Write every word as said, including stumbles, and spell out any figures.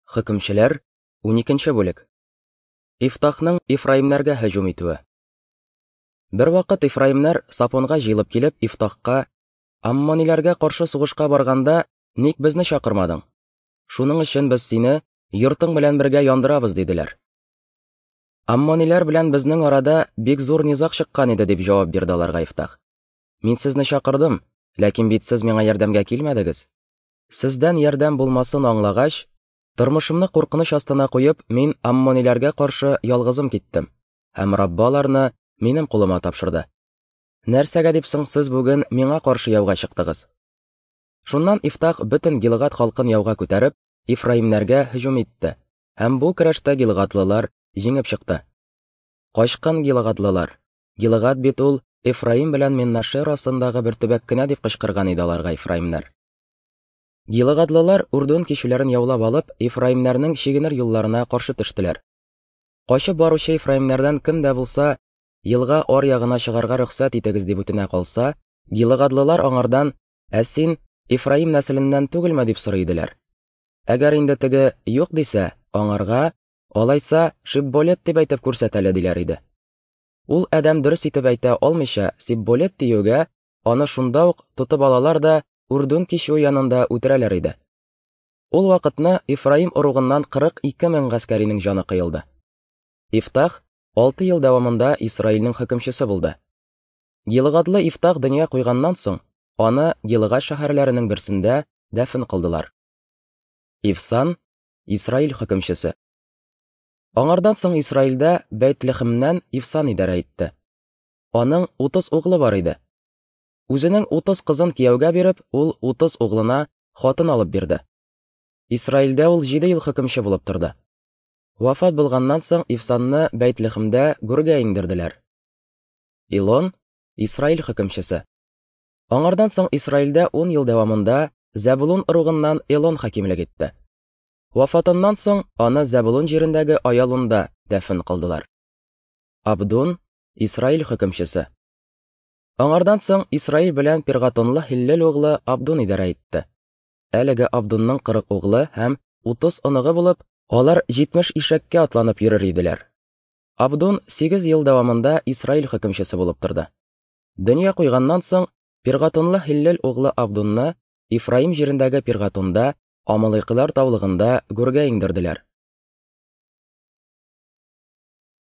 Хөкемчеләр, уникенче бүлек. Ифтахның Ифраимнәргә һөҗүм итүе. Бервакыт Ифраимнәр Сапонга җыелып килеп, Ифтахка: "Аммониләргә каршы сугышка барганда, ник безне чакырмадың? Шуның өчен без сине йортың белән бергә яндырабыз", диделәр. "Аммониләр белән безнең арада бик зур низаг чыккан иде", дип җавап бирде аларга Ифтах. "Мин сезне чакырдым, ләкин бит сез миңа ярдәмгә килмәдегез. Сездән ярдәм булмасын аңлагач, тормышымны куркыныч астына куеп, мин аммониләргә каршы ялгызым киттем, һәм Раббы аларны минем кулыма тапшырды. Нәрсәгә дип соң сез бүген миңа каршы яуга чыктыгыз?" Шуннан Ифтах бөтен Гилгад халкын яуга күтәреп, Ифраимнәргә һөҗүм итте, һәм бу көрәштә гилгадлылар җиңеп чыкты. Качкын гилгадлылар: "Гилгад бит ул Эфраим белән Менаше арасындагы бер төбәк кенә", дип кычкырган иде аларга Ифраимнәр. Гилгадлылар Урдун кичүләрен яулап алып, Ифраимнәрнең чигенер юлларына каршы төштеләр. Качып баручы Ифраимнәрдән кем дә булса елга ар ягына чыгарга рөхсәт итегез дип үтенә калса, гилгадлылар аңардан: "Ә син Ифраим нәселеннән түгелме?" дип сорый иделәр. Әгәр инде теге юк дисә, аңарга: "Алайса, Шибболет дип әйтеп күрсәт әле", диләр иде. Ул адәм дөрес итеп әйтә алмыйча Сибболет диюгә, аны шунда ук тотып алалар да Урдун кичүе янында үтерәләр иде. Ул вакытны Ифраим ыругыннан кырык ике мең гаскәринең җаны кыелды. Ифтах алты ел дәвамында Исраилнең хөкемчесе булды. Гилгадлы Ифтах дөнья куйганнан соң, аны Гилгад шәһәрләренең берсендә дәфен кылдылар. Ифсан, Исраил хөкемчесе. Аңардан соң Исраилдә Бәйтлехемнән Ифсан идарә итте. Аның утыз углы бар иде. Үзенең утыз кызын кияүгә биреп, ул утыз углына хатын алып бирде. Исраилдә ул җиде ел хөкемче булып торды. Вафат булганнан соң Ифсанны Бәйтлехемдә гүргә иңдерделәр. Илон, Исраил хөкемчесе. Аңардан соң Исраилдә ун ел дәвамында Зәбулун ыругыннан Элон хакимлек итте. Вафатыннан соң аны Зәбулун җирендәге Аялунда дәфен кылдылар. Абдун, Исраил хөкемчесе. Аңардан соң Исраил белән Пиргатонлы Һиллел углы Абдун идарә итте. Әлеге Абдунның кырык углы һәм утыз оныгы булып, алар җитмеш ишәккә атланып йөрер иделәр. Абдун сигез ел дәвамында Исраил хөкемчесе булып торды. Дөнья куйганнан соң Пиргатонлы Һиллел углы Абдунны Ифраим җирендәге Пиргатонда, Амалыйкылар таулыгында гүргә иңдерделәр.